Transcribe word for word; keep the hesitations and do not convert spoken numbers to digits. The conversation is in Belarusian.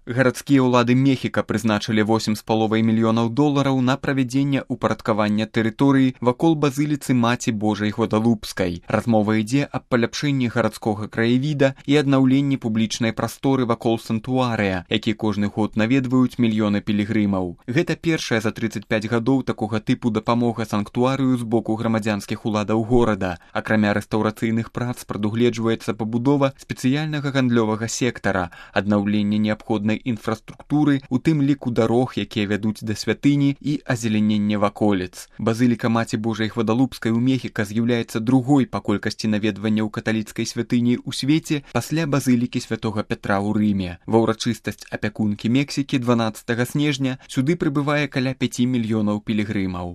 Гарадскія ўлады Мехіка прызначылі восем з паловай мільёнаў долараў на правядзенне ўпарадкавання тэрыторыі вакол базыліцы Маці Божай Гвадалупскай. Размова ідзе аб паляпшэнні гарадскога краявіда і аднаўленні публічнай прасторы вакол сантуарыя, які кожны год наведваюць мільёны пілігрымаў. Гэта першая за трыццаць пяць гадоў такога тыпу дапамога санктуарыю з боку грамадзянскіх уладаў горада. Акрамя рэстаўрацыйных прац прадугледжваецца пабудова спецыяльнага гандлёвага сектара, аднаўленне неабходнай інфраструктуры, у тым ліку дарог, якія вядуць да святыні, і азелененне ваколіц. Базыліка Маці Божай Гвадалупскай у Мехіка з'яўляецца другой па колькасці наведванняў каталіцкай святыні ў свеце пасля базылікі святога Пятра ў Рыме. Ва ўрачыстасць апякункі Мексікі дванаццатага снежня сюды прыбывае каля пяці мільёнаў пілігрымаў.